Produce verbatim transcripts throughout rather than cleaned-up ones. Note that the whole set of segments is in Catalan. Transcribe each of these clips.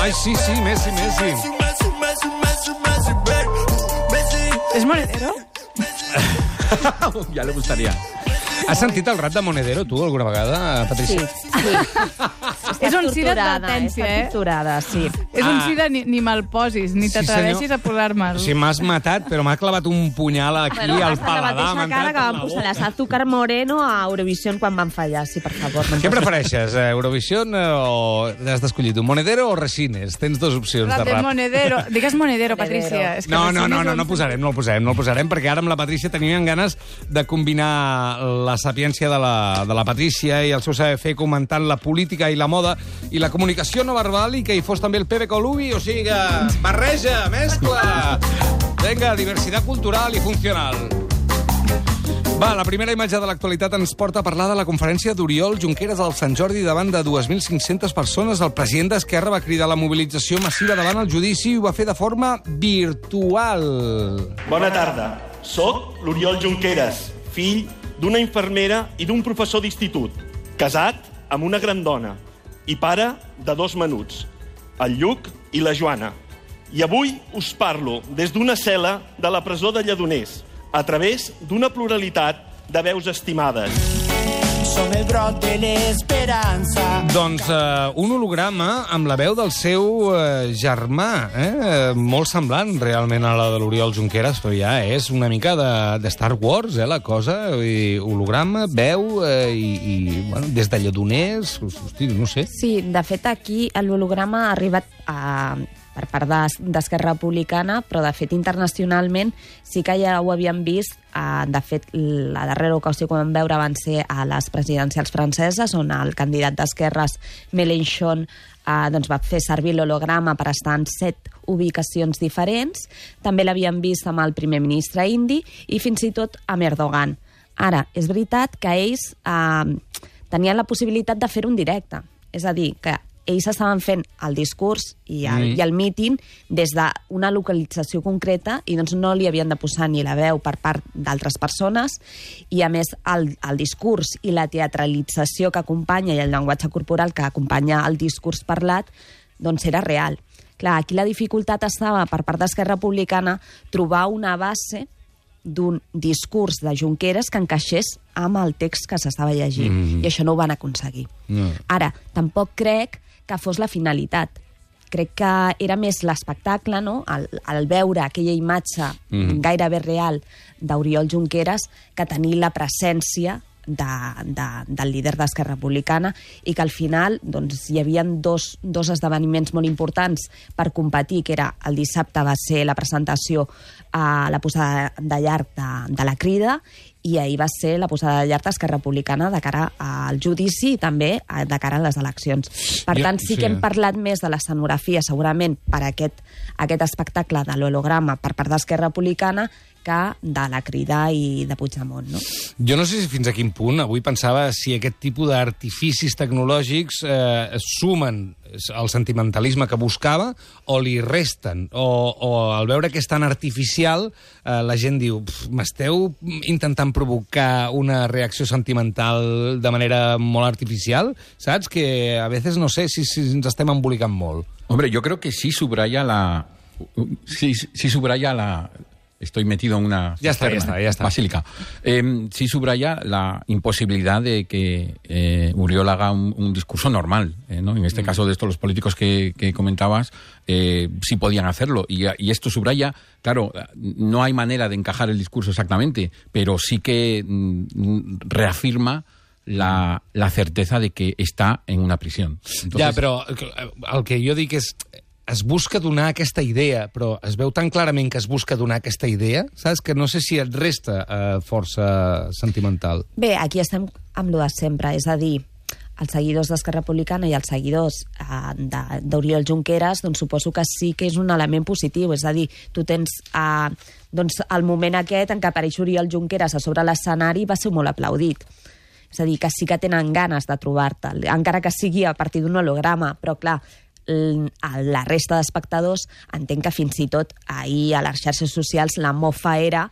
Ai, sí, sí, Messi, Messi. És Monedero? Ja li gustaria. Has sentit el rap de Monedero, tu, alguna vegada, Patricia? Sí, sí. És un sí d'advertència, eh? Està torturada, sí. És un Ah. sí de ni, ni me'l posis, ni Sí, t'atreveixis senyor. a posar-me'l. O sigui, m'has matat, però m'ha clavat un punyal aquí Bueno, al hasta la paladar. mateixa m'ha cara entrat que per van la posar boca. les Azúcar Moreno a Eurovisión quan van fallar, sí, per favor. No em Què posis- prefereixes, eh, Eurovision o has d'escollir tu? Monedero o Resines? Tens dues opcions Rap de de rap. Monedero. Digues Monedero, Monedero. Patricia. És que No, no, Resines no, no, ho no hem posarem, no el posarem, no el posarem, perquè ara amb la Patrícia teníem ganes de combinar la sapiència de la, de la Patrícia i el seu saber fer comentant la política i la moda i la comunicació no verbal i que hi fos també el Pepe Colubi, o sigui que barreja, mescla. Vinga, diversitat cultural i funcional. Va, la primera imatge de l'actualitat ens porta a parlar de la conferència d'Oriol Junqueras al Sant Jordi davant de dues mil cinc-centes persones. El president d'Esquerra va cridar la mobilització massiva davant el judici i ho va fer de forma virtual. Bona tarda. Soc l'Oriol Junqueras, fill d'una infermera i d'un professor d'institut, casat amb una gran dona i pare de dos menuts, el Lluc i la Joana. I avui us parlo des d'una cel·la de la presó de Lledoners, a través d'una pluralitat de veus estimades. Som el brot de l'esperança. Doncs eh, un holograma amb la veu del seu eh, germà, eh? molt semblant realment a la de l'Oriol Junqueras, però ja és una mica de, de Star Wars, eh, la cosa. I holograma, veu eh, i, i bueno, des de Lledoners, hosti, no sé. Sí, de fet, aquí l'holograma ha arribat a, per part d'Es- d'Esquerra Republicana, però de fet internacionalment sí que ja ho havíem vist. Eh, de fet, la darrera ocasió que vam veure van ser a les presidencials franceses, on el candidat d'Esquerres, Mélenchon, eh, doncs va fer servir l'holograma per estar en set ubicacions diferents. També l'havíem vist amb el primer ministre indi i fins i tot amb Erdogan. Ara, és veritat que ells eh, tenien la possibilitat de fer-ho en directe. És a dir, que ells estaven fent el discurs i el, Mm. i el míting des d'una localització concreta i doncs no li havien de posar ni la veu per part d'altres persones i, a més, el, el discurs i la teatralització que acompanya i el llenguatge corporal que acompanya el discurs parlat doncs era real. Clar, aquí la dificultat estava per part d'Esquerra Republicana trobar una base d'un discurs de Junqueras que encaixés amb el text que s'estava llegint. Mm. I això no ho van aconseguir. No. Ara, tampoc crec que fos la finalitat. Crec que era més l'espectacle, no? el, el veure aquella imatge Mhm. gairebé real d'Oriol Junqueras que tenir la presència de, de, del líder d'Esquerra Republicana i que al final doncs, hi havia dos, dos esdeveniments molt importants per competir, que era el dissabte va ser la presentació a la posada de llarg de, de la Crida i ahir va ser la posada de llarg d'Esquerra Republicana de cara al judici i també eh, de cara a les eleccions. Per Jo- tant, sí, sí. que hem parlat més de l'escenografia segurament per aquest, aquest espectacle de l'holograma per part d'Esquerra Republicana que de la Crida i de Puigdemont, no? Jo no sé si fins a quin punt, avui pensava si aquest tipus d'artificis tecnològics eh, sumen el sentimentalisme que buscava o li resten, o, o al veure que és tan artificial eh, la gent diu, "Pf, m'esteu intentant provocar una reacció sentimental de manera molt artificial?" Saps? Que a veces no sé si, si ens estem embolicant molt. Hombre, yo creo que sí subraya la... Sí, sí subraya la... Estoy metido en una Ya está, ya cisterna, está, ya está. basílica. Eh, sí subraya la imposibilidad de que eh, Uriol haga un, un discurso normal, eh, ¿no? En este Mm. caso, de estos los políticos que, que comentabas, eh, sí podían hacerlo. Y, y esto subraya, claro, no hay manera de encajar el discurso exactamente, pero sí que mm, reafirma la, la certeza de que está en una prisión. Entonces, Ja, però el que jo dic és es busca donar aquesta idea, però es veu tan clarament que es busca donar aquesta idea, saps? Que no sé si et resta eh, força sentimental. Bé, aquí estem amb lo de sempre, és a dir, els seguidors d'Esquerra Republicana i els seguidors eh, de- d'Oriol Junqueras, doncs suposo que sí que és un element positiu, és a dir, tu tens eh, doncs el moment aquest en què apareix Oriol Junqueras a sobre l'escenari va ser molt aplaudit. És a dir, que sí que tenen ganes de trobar-te'l, encara que sigui a partir d'un holograma, però clar, l- a la resta d'espectadors entenc que fins i tot ahir a les xarxes socials la mofa era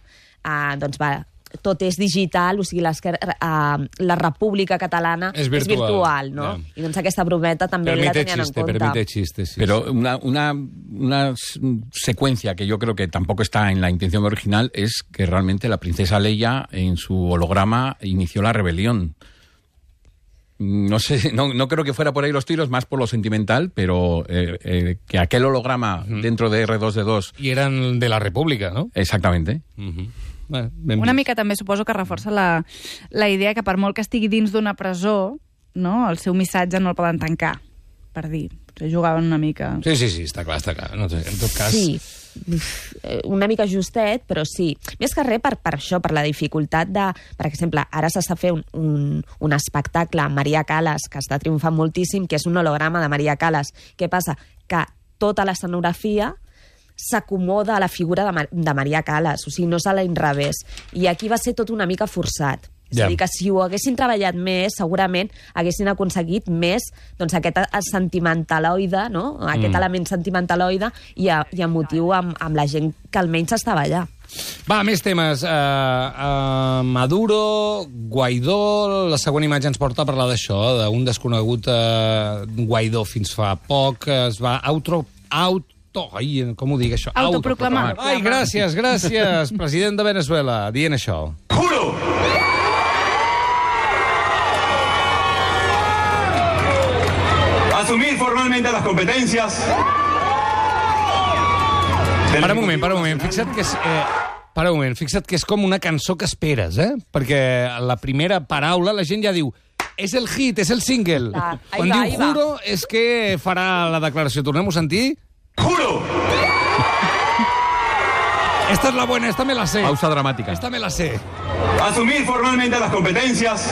eh, doncs va, tot és digital, o sigui, uh, la República Catalana és virtual, és virtual no? Yeah. I doncs aquesta brometa també permite la tenien chiste, en compte. Permite chiste, sí. Pero una, una, una secuencia que yo creo que tampoco está en la intención original es que realmente la princesa Leia en su holograma inició la rebelión. No sé, no, no creo que fuera por ahí los tiros, más por lo sentimental, pero eh, eh, que aquel holograma uh-huh. dentro de erre dos de dos... I eren de la República, no? Exactamente. Uh-huh. Bé, ben Una vist. mica també suposo que reforça la, la idea que per molt que estigui dins d'una presó, no, el seu missatge no el poden tancar, per dir. Potser jugaven una mica... Sí, sí, sí, està clar, està clar. No sé, en tot cas... Sí, una mica justet, però sí. Més que res per, per això, per la dificultat de... Per exemple, ara s'està fent un, un, un espectacle amb Maria Callas, que està triomfant moltíssim, que és un holograma de Maria Callas. Què passa? Que tota l'escenografia s'acomoda a la figura de, Mar de Maria Callas, o sigui, no se l'inrevés. I aquí va ser tot una mica forçat. És Ja. a dir, que si ho haguessin treballat més, segurament haguessin aconseguit més doncs, aquest sentimentaloide, no? aquest mm. element sentimentaloide i, a, i emotiu amb, amb la gent que almenys estava allà. Va, més temes. Uh, uh, Maduro, Guaidó... La següent imatge ens porta a parlar d'això, d'un desconegut uh, Guaidó fins fa poc. Es va auto... auto ai, com ho dic, això? Autoproclamar. Ai, gràcies, gràcies, president de Venezuela, dient això. Juro asumir formalmente las competencias. Para un moment, para un moment. Fixa't que és... Eh, para un moment, fixa't que és com una cançó que esperes, eh? Perquè la primera paraula la gent ja diu és el hit, és el single. Clar, ahí Quan va, diu ahí va. juro és que farà la declaració. Tornem-ho a sentir? Juro Esta es la buena, esta me la sé. Pausa dramática. Esta me la sé. asumir formalmente las competencias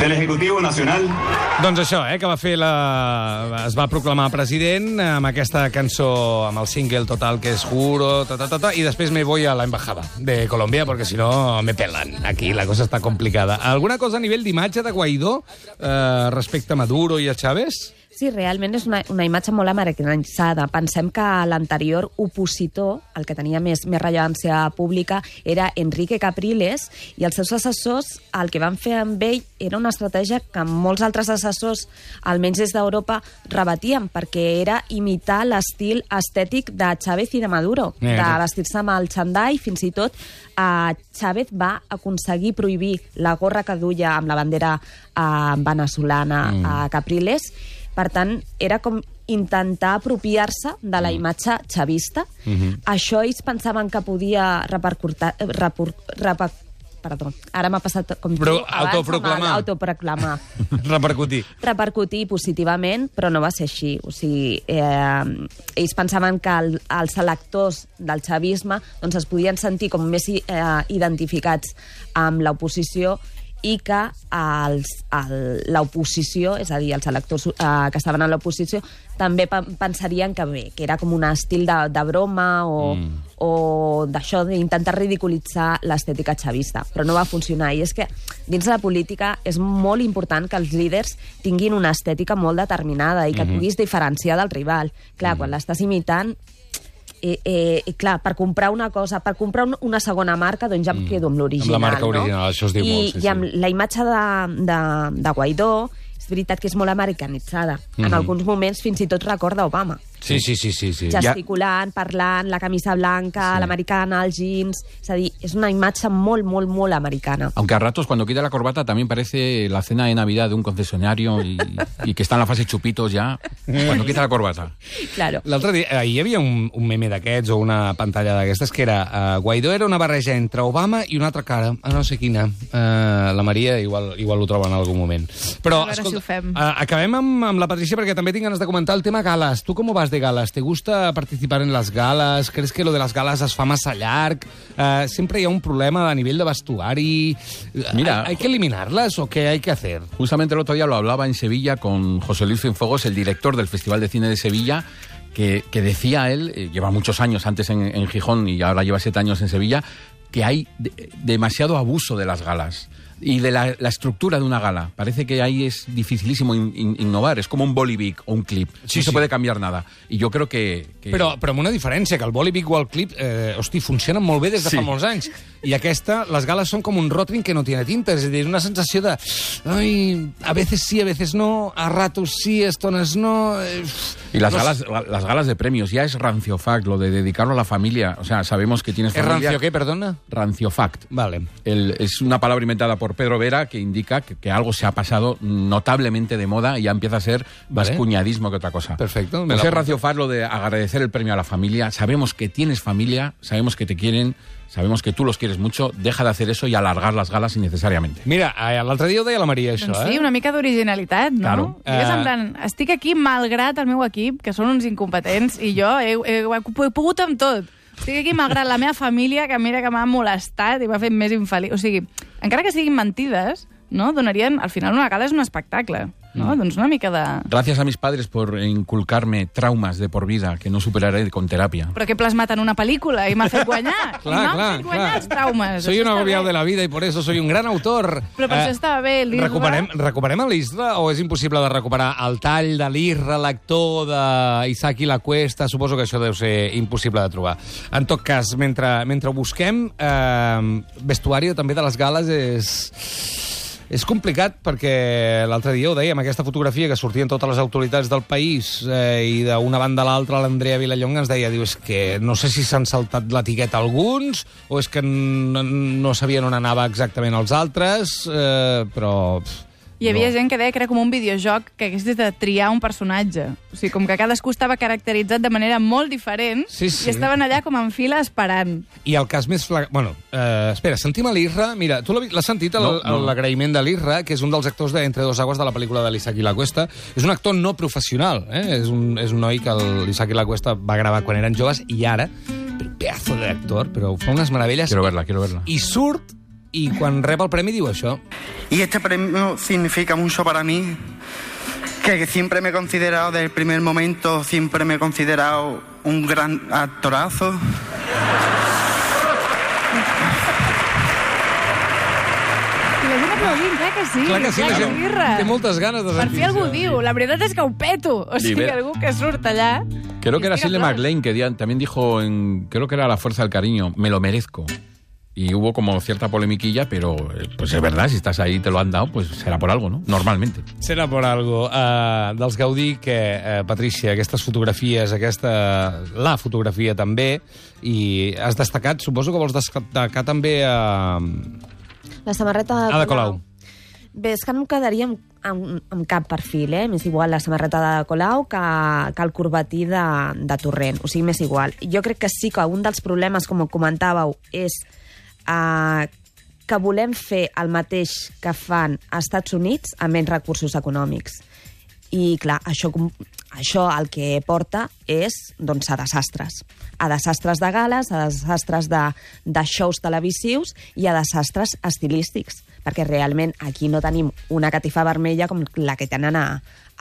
del Ejecutivo Nacional. Doncs això, eh, que va fer la... es va proclamar president amb aquesta cançó, amb el single total que és Juro, ta, ta, ta, ta, i després me voy a la embajada de Colombia, porque si no me pelan. Aquí la cosa està complicada. Alguna cosa a nivell d'imatge de Guaidó eh, respecte a Maduro i a Chávez? Sí, realment és una, una imatge molt americanitzada. Pensem que l'anterior opositor, el que tenia més, més rellevància pública, era Enrique Capriles, i els seus assessors, el que van fer amb ell era una estratègia que molts altres assessors, almenys des d'Europa, rebatien, perquè era imitar l'estil estètic de Chávez i de Maduro, Eh, de no. vestir-se amb el xandall, fins i tot eh, Chávez va aconseguir prohibir la gorra que duia amb la bandera eh, veneçolana Mm. a Capriles. Per tant, era com intentar apropiar-se de la imatge xavista. Mhm. Això ells pensaven que podia repercutir... Repor, reper, perdó, ara m'ha passat com Però tu abans, autoproclamar. amb el Autoproclamar. Repercutir. Repercutir positivament, però no va ser així. O sigui, eh, ells pensaven que el, els electors del xavisme doncs, es podien sentir com més eh, identificats amb l'oposició i que els, el, l'oposició, és a dir, els electors eh, que estaven a l'oposició, també pe- pensarien que bé, que era com un estil de, de broma o, mm. o d'això, d'intentar ridiculitzar l'estètica xavista. Però no va funcionar. I és que dins de la política és molt important que els líders tinguin una estètica molt determinada i que mm-hmm. et puguis diferenciar del rival. Clar, mm. quan l'estàs imitant... Eh, eh, eh, clar, per comprar una cosa, per comprar un, una segona marca, doncs ja em quedo amb l'original. Amb la marca no? original, això es diu I, molt, sí, I amb sí. la imatge de, de, de Guaidó, és veritat que és molt americanitzada. Mm-hmm. En alguns moments fins i tot recorda Obama. Sí, sí, sí, sí, sí. Gesticulant, parlant, la camisa blanca, Sí. l'americana, els jeans... És a dir, és una imatge molt, molt, molt americana. Aunque a ratos cuando quita la corbata también parece la cena de Navidad de un concesionario y, y que está en la fase chupitos ya cuando quita la corbata. Claro. L'altre dia, ahir hi havia un, un meme d'aquests o una pantalla d'aquestes que era uh, Guaidó era una barreja entre Obama i una altra cara, a no sé quina. Uh, la Maria igual, igual ho troba en algun moment. Però, A veure escolta, si ho fem. Uh, acabem amb, amb la Patricia perquè també tinc ganes de comentar el tema galas. Tu com vas de galas? ¿Te gusta participar en las galas? ¿Crees que lo de las galas es fa massa llarg? Uh, sempre hi ha un problema a nivell de vestuari. Mira, ¿Hay, ¿Hay que eliminarlas o qué hay que hacer? Justamente el otro día lo hablaba en Sevilla con José Luis Cienfuegos, el director del Festival de Cine de Sevilla, que, que decía él, eh, lleva muchos años antes en, en Gijón y ahora lleva siete años en Sevilla, que hay de, demasiado abuso de las galas. y de la, la estructura de una gala. Parece que ahí es dificilísimo in, in, innovar. Es como un Bolivic o un clip. Sí, no sí. se puede cambiar nada. I jo crec que... que... Però, però amb una diferència, que el Bolivic o el clip, eh, hosti, funcionen molt bé des de Sí. fa molts anys. I aquesta, les gales són com un Rotring que no tiene tinta. És a dir, una sensació de... Ai, a veces sí, a veces no, a ratos sí, a estones no... Eh, Y las no galas, las galas de premios, ya es rancio fact, lo de dedicarlo a la familia. O sea, sabemos que tienes ¿Es familia... rancio qué, perdona? Rancio fact. Vale. El, es una palabra inventada por Pedro Vera que indica que, que algo se ha pasado notablemente de moda y ya empieza a ser más Vale. cuñadismo que otra cosa. Perfecto. me Pues la es apunto. rancio fact lo de agradecer el premio a la familia. Sabemos que tienes familia, sabemos que te quieren, sabemos que tú los quieres mucho. Deja de hacer eso y alargar las galas innecesariamente. Mira, eh, l'altre dia ho deia la Maria, això, Doncs eh? sí, una mica d'originalitat, no? Claro. Digues, Eh, en plan, estic aquí malgrat el meu equip, que són uns incompetents, i jo he, he, he pogut amb tot. Estic aquí malgrat la meva família, que mira que m'ha molestat i m'ha fet més infeliç. O sigui, encara que siguin mentides, no? Donarien... Al final una gala és un espectacle, no? Mm. Doncs una mica de... Gracias a mis padres por inculcarme traumas de por vida que no superaré con terapia. Però que he plasmat en una pel·lícula i m'ha fet guanyar. Clar, I m'ha clar, fet guanyar clar. els traumes. Soy Això un està agobiado bé. de la vida y por eso soy un gran autor. Però per Eh, això estava bé, l'Isra. Recuperem, recuperem a l'Isra o és impossible de recuperar el tall de l'Isra, l'actor d'Isaac i la Cuesta? Suposo que això deu ser impossible de trobar. En tot cas, mentre, mentre ho busquem, eh, vestuari també de les gales és... És complicat perquè l'altre dia ho dèiem, aquesta fotografia que sortien totes les autoritats del país eh, i d'una banda a l'altra l'Andrea Vilallonga ens deia, diu, és que no sé si s'han saltat l'etiqueta alguns o és que no, no sabien on anava exactament els altres, eh, però... Pff, Hi havia no. gent que deia que era com un videojoc que hagués de triar un personatge. O sigui, com que cadascú estava caracteritzat de manera molt diferent Sí, sí. i estaven allà com en fila esperant. I el cas més flagrant... Bueno, eh, espera, sentim a l'Isra. Mira, tu l'has sentit, No, no. l'agraïment de l'Isra, que és un dels actors d'Entre dos aguas de la pel·lícula de l'Isaac i la Cuesta. És un actor no professional, eh? És un, és un noi que l'Isaac i la Cuesta va gravar quan eren joves i ara, però pedazo d'actor, però fa unes meravelles. Quiero verla, quiero verla. I surt, i quan rep el premi diu això. Y este premio significa mucho para mí, que siempre me he considerado desde el primer momento, siempre me he considerado un gran actorazo. I la gent aplaudint, clar que sí. Clar que sí, la gent l'Isra. té moltes ganes de Per sentir fi algú això. diu. La veritat és que ho peto. O sigui, Libera. algú que surt allà... Creo que era Estic Shirley aplaus. MacLaine que di- también dijo, en, creo que era La Fuerza del Cariño, me lo merezco. Y hubo como cierta polemiquilla, pero eh, pues es verdad, si estás ahí y te lo han dado, pues será por algo, ¿no? Normalmente. Serà per algo. Uh, dels Gaudí, que, uh, Patrícia, aquestes fotografies, aquesta... la fotografia també, i has destacat, suposo que vols destacar també a... La samarreta de Ada Colau. Bé, és que no em quedaria amb, amb, amb cap perfil, eh? M'és igual la samarreta de Colau que, que el corbatí de, de Torrent. O sigui, m'és igual. Jo crec que sí que un dels problemes, com comentàveu, és eh, que volem fer el mateix que fan als Estats Units amb menys recursos econòmics. I, clar, això, això el que porta és doncs, a desastres. A desastres de gales, a desastres de, de shows televisius i a desastres estilístics. Perquè realment aquí no tenim una catifa vermella com la que tenen a,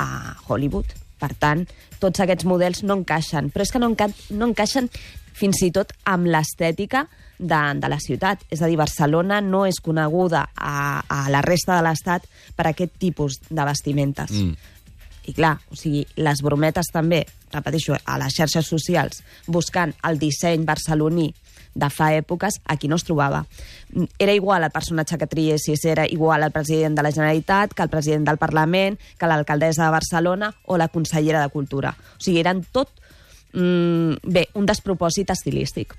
a Hollywood. Per tant, tots aquests models no encaixen. Però és que no, enca no encaixen fins i tot amb l'estètica de, de la ciutat. És a dir, Barcelona no és coneguda a, a la resta de l'Estat per aquest tipus de vestimentes. Mm. I clar, o sigui, les brometes també, repeteixo, a les xarxes socials, buscant el disseny barceloní de fa èpoques, aquí no es trobava. Era igual el personatge que triessis, era igual el president de la Generalitat, que el president del Parlament, que l'alcaldessa de Barcelona o la consellera de Cultura. O sigui, eren tot, mm, bé, un despropòsit estilístic.